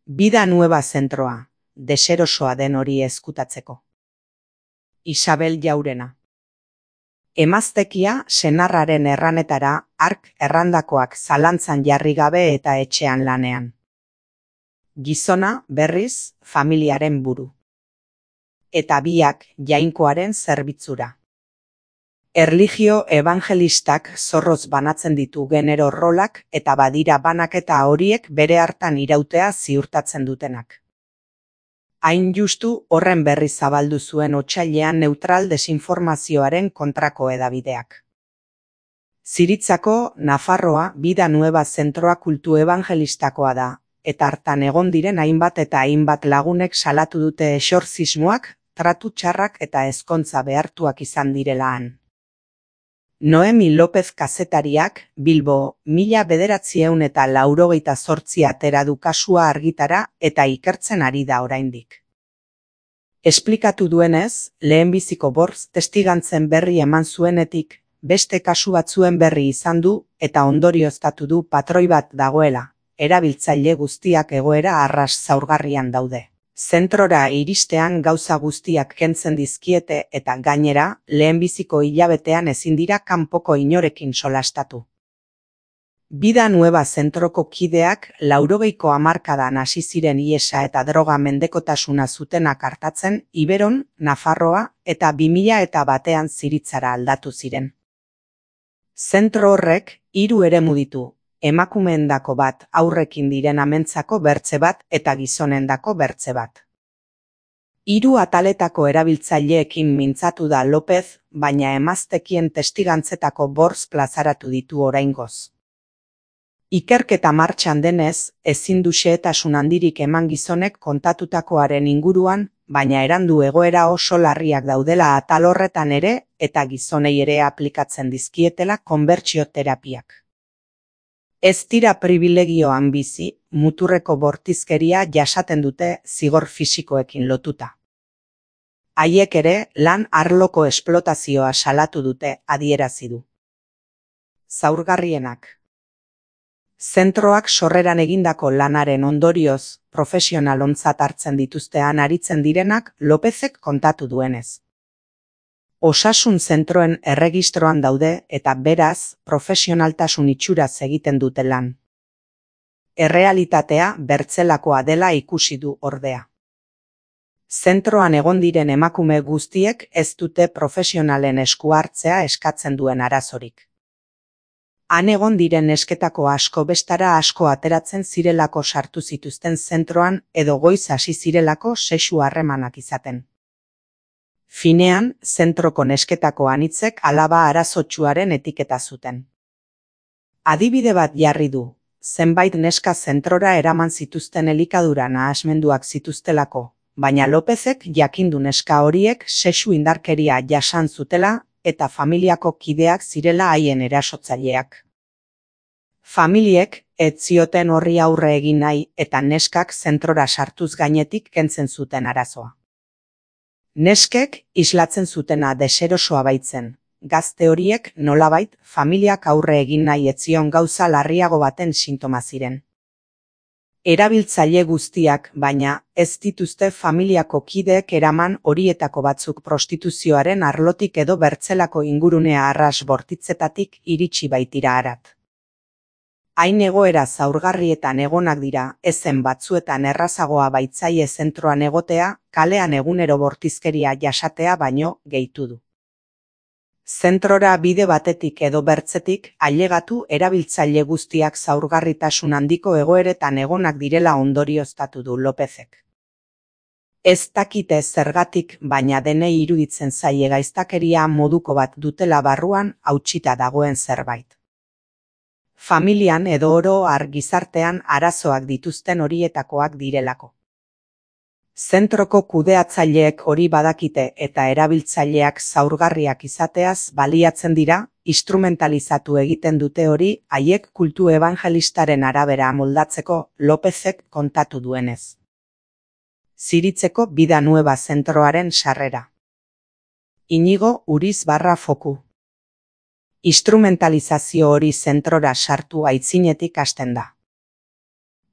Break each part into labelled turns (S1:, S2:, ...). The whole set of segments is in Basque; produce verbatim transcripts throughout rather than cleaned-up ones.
S1: Vida nueva zentroa, deserosoa den hori ezkutatzeko. Isabel Jaurena. Emaztekia senarraren erranetara hark errandakoak zalantzan jarri gabe eta etxean lanean. Gizona, berriz, familiaren buru. Eta biak jainkoaren zerbitzura. Erlijio evangelistak zorroz banatzen ditu genero rolak eta badira banaketa horiek bere hartan irautea ziurtatzen dutenak. Hain justu horren berri zabaldu zuen otsailean neutral desinformazioaren kontrako edabideak. Ziritzako Nafarroa Vida Nueva zentroa kultu evangelistakoa da, eta hartan egon diren hainbat eta hainbat lagunek salatu dute exorzismoak, tratu txarrak eta ezkontza behartuak izan direla han. Noemi López kazetariak, Bilbo, mila bederatziehun eta laurogeita zortzi atera du kasua argitara eta ikertzen ari da oraindik. Esplikatu duenez, lehenbiziko bortz testigantzen berri eman zuenetik, beste kasu batzuen berri izan du eta ondorioztatu du patroi bat dagoela, erabiltzaile guztiak egoera arras zaurgarrian daude. Zentrora iristean gauza guztiak kentzen dizkiete eta gainera, lehenbiziko hilabetean ezin dira kanpoko inorekin solastatu. Vida Nueva zentroko kideak laurogeiko hamarkadan hasi ziren ihesa eta droga mendekotasuna zutenak artatzen Iberon, Nafarroa eta bi mila eta batean Ziritzara aldatu ziren. Zentro horrek hiru eremu ditu. Emakumeendako bat, aurrekin diren amentzako bertze bat eta gizonendako bertze bat. Hiru ataletako erabiltzaileekin mintzatu da López, baina emaztekien testigantzetako bortz plazaratu ditu oraingoz. Ikerketa martxan denez, ezin du xehetasun handirik eman gizonek kontatutakoaren inguruan, baina erandu egoera oso larriak daudela atal horretan ere eta gizonei ere aplikatzen dizkietela konbertsio terapiak. Ez dira pribilegioan bizi, muturreko bortizkeria jasaten dute zigor fisikoekin lotuta. Haiek ere lan arloko esplotazioa salatu dute adierazi du. Zaurgarrienak. Zentroak sorreran egindako lanaren ondorioz, profesional ontzat hartzen dituztean aritzen direnak Lópezek kontatu duenez. Osasun zentroen erregistroan daude eta beraz profesionaltasun itxuraz egiten dute lan. Errealitatea bertzelakoa dela ikusi du ordea. Zentroan egon diren emakume guztiek ez dute profesionalen esku hartzea eskatzen duen arazorik. Han egon diren nesketako asko bestara asko ateratzen zirelako sartu zituzten zentroan edo goiz hasi zirelako sexu harremanak izaten. Finean, zentroko nesketako anitzek alaba arazotsuaren etiketa zuten. Adibide bat jarri du, zenbait neska zentrora eraman zituzten elikadura nahasmenduak zituztelako, baina Lópezek jakindu neska horiek sexu indarkeria jasan zutela eta familiako kideak zirela haien erasotzaileak. Familiek ez zioten horri aurre egin nahi eta neskak zentrora sartuz gainetik kentzen zuten arazoa. Neskek islatzen zutena deserosoa baitzen, gazte horiek nolabait familiak aurre egin nahi ez zion gauza larriago baten sintoma ziren. Erabiltzaile guztiak, baina, ez dituzte familiako kideek eraman horietako batzuk prostituzioaren arlotik edo bertzelako ingurunea arras bortitzetatik iritsi baitira harat. Hain egoera zaurgarrietan egonak dira, ezen batzuetan errazagoa baitzaile zentroan egotea, kalean egunero bortizkeria jasatea baino gehitu du. Zentrora bide batetik edo bertzetik ailegatu erabiltzaile guztiak zaurgarritasun handiko egoeretan egonak direla ondorioztatu du Lópezek. Ez dakite zergatik, baina denei iruditzen zaie gaiztakeria moduko bat dutela barruan hautsita dagoen zerbait. Familian edo oro har gizartean arazoak dituzten horietakoak direlako. Zentroko kudeatzaileek hori badakite eta erabiltzaileak zaurgarriak izateaz baliatzen dira, instrumentalizatu egiten dute hori haiek kultu evangelistaren arabera moldatzeko Lópezek kontatu duenez. Ziritzeko Vida Nueva zentroaren sarrera. Inigo Uriz barra foku. Instrumentalizazio hori zentrora sartu aitzinetik hasten da.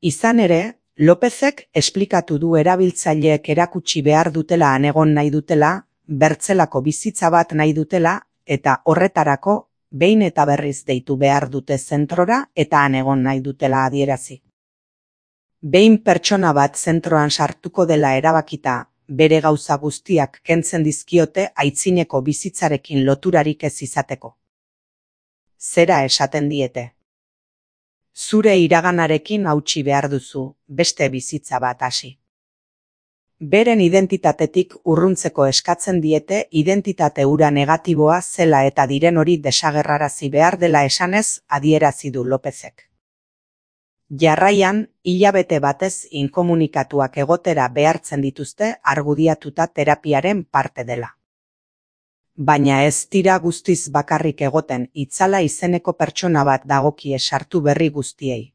S1: Izan ere, Lopezek esplikatu du erabiltzaileek erakutsi behar dutela han egon nahi dutela, bertzelako bizitza bat nahi dutela, eta horretarako behin eta berriz deitu behar dute zentrora eta han egon nahi dutela adierazi. Behin pertsona bat zentroan sartuko dela erabakita, bere gauza guztiak kentzen dizkiote aitzineko bizitzarekin loturarik ez izateko. Zera esaten diete. Zure iraganarekin hautsi behar duzu, beste bizitza bat hasi. Beren identitatetik urruntzeko eskatzen diete identitate hura negatiboa zela eta diren hori desagerrarazi behar dela esanez adierazi du Lopezek. Jarraian, hilabete batez inkomunikatuak egotera behartzen dituzte argudiatuta terapiaren parte dela. Baina ez dira guztiz bakarrik egoten Itzala izeneko pertsona bat dagokie sartu berri guztiei.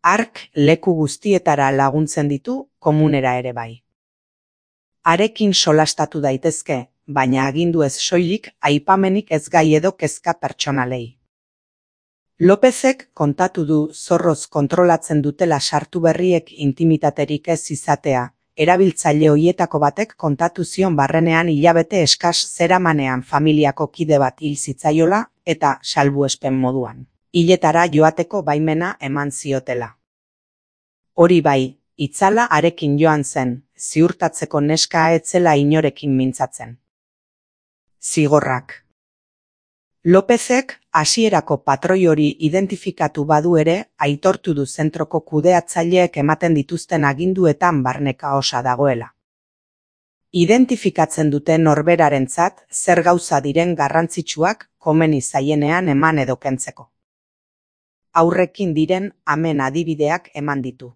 S1: Hark leku guztietara laguntzen ditu, komunera ere bai. Harekin solastatu daitezke, baina agindu ez soilik aipamenik ez gai edo kezka pertsonalei. Lopezek kontatu du zorroz kontrolatzen dutela sartu berriek intimitaterik ez izatea, erabiltzaile hoietako batek kontatu zion barrenean hilabete eskas zeramanean familiako kide bat hil zitzaiola eta salbuespen moduan. Hiletara joateko baimena eman ziotela. Hori bai, Itzala harekin joan zen, ziurtatzeko neska etzela inorekin mintzatzen. Zigorrak. Lopezek hasierako patroi hori identifikatu badu ere, aitortu du zentroko kudeatzaileek ematen dituzten aginduetan barneka osa dagoela. Identifikatzen dute norberarentzat zer gauza diren garrantzitsuak komeni zaienean eman edo kentzeko. Aurrekin diren amen adibideak eman ditu.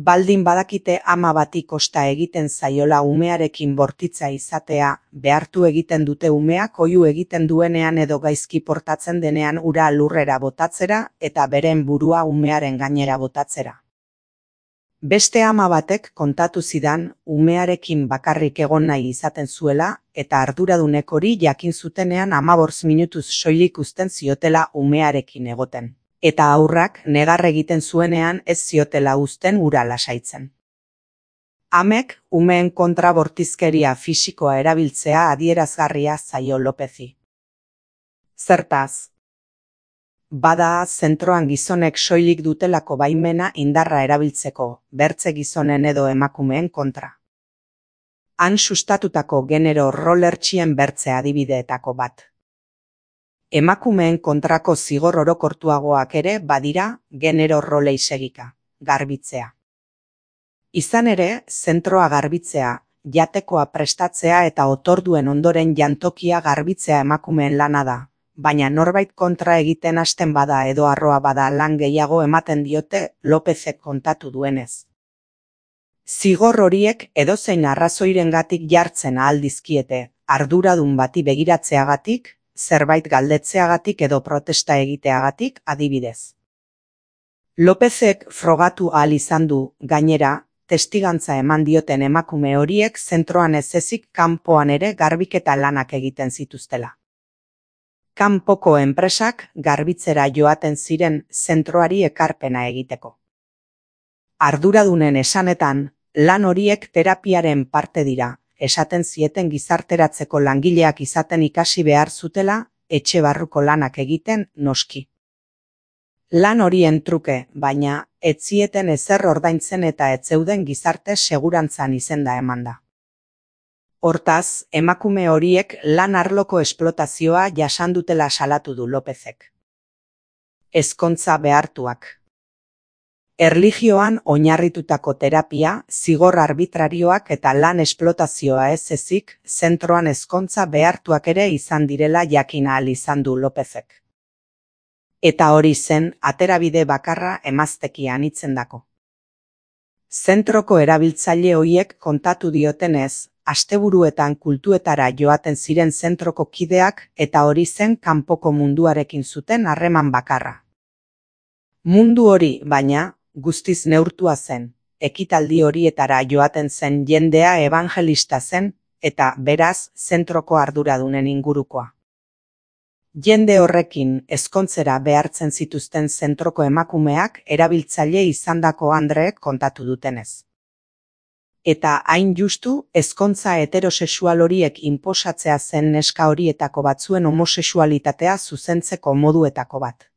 S1: Baldin badakite ama bati kosta egiten zaiola umearekin bortitza izatea, behartu egiten dute umeak oihu egiten duenean edo gaizki portatzen denean ura lurrera botatzera eta beren burua umearen gainera botatzera. Beste ama batek kontatu zidan umearekin bakarrik egon nahi izaten zuela eta arduradunek hori jakin zutenean hamabost minutuz soilik uzten ziotela umearekin egoten. Eta aurrak negar egiten zuenean ez ziotela uzten ura lasaitzen. Amek umeen kontra bortizkeria fisikoa erabiltzea adierazgarria zaio Lopezi. Zertaz? Bada zentroan gizonek soilik dutelako baimena indarra erabiltzeko, bertze gizonen edo emakumeen kontra. Han sustatutako genero rolertxien bertze adibideetako bat. Emakumeen kontrako zigor orokortuagoak ere badira genero rolei segika, garbitzea. Izan ere, zentroa garbitzea, jatekoa prestatzea eta otorduen ondoren jantokia garbitzea emakumeen lana da, baina norbait kontra egiten hasten bada edo arroa bada lan gehiago ematen diote Lopezek kontatu duenez. Zigor horiek edozein arrazoirengatik jartzen ahal dizkiete, arduradun bati begiratzeagatik, zerbait galdetzeagatik edo protesta egiteagatik adibidez. Lopezek frogatu ahal izan du, gainera, testigantza eman dioten emakume horiek zentroan ez ezik kanpoan ere garbiketa lanak egiten zituztela. Kanpoko enpresak garbitzera joaten ziren zentroari ekarpena egiteko. Arduradunen esanetan, lan horiek terapiaren parte dira, esaten zieten gizarteratzeko langileak izaten ikasi behar zutela, etxe barruko lanak egiten noski. Lan horien truke, baina, ez zieten ezer ordaintzen eta ez zeuden gizarte segurantzan izenda emanda. Hortaz, emakume horiek lan arloko esplotazioa jasan dutela salatu du Lopezek. Ezkontza behartuak. Erlijioan oinarritutako terapia, zigor arbitrarioak eta lan esplotazioa ez ezik, zentroan ezkontza behartuak ere izan direla jakin ahal izan du Lopezek. Eta hori zen aterabide bakarra emaztekian itzendako. Zentroko erabiltzaile hoiek kontatu diotenez, asteburuetan kultuetara joaten ziren zentroko kideak eta hori zen kanpoko munduarekin zuten harreman bakarra. Mundu hori, baina, guztiz neurtua zen, ekitaldi horietara joaten zen jendea ebangelista zen, eta beraz zentroko arduradunen ingurukoa. Jende horrekin ezkontzera behartzen zituzten zentroko emakumeak erabiltzaile izandako andreek kontatu dutenez. Eta hain justu, ezkontza heterosexual horiek inposatzea zen neska horietako batzuen homosexualitatea zuzentzeko moduetako bat.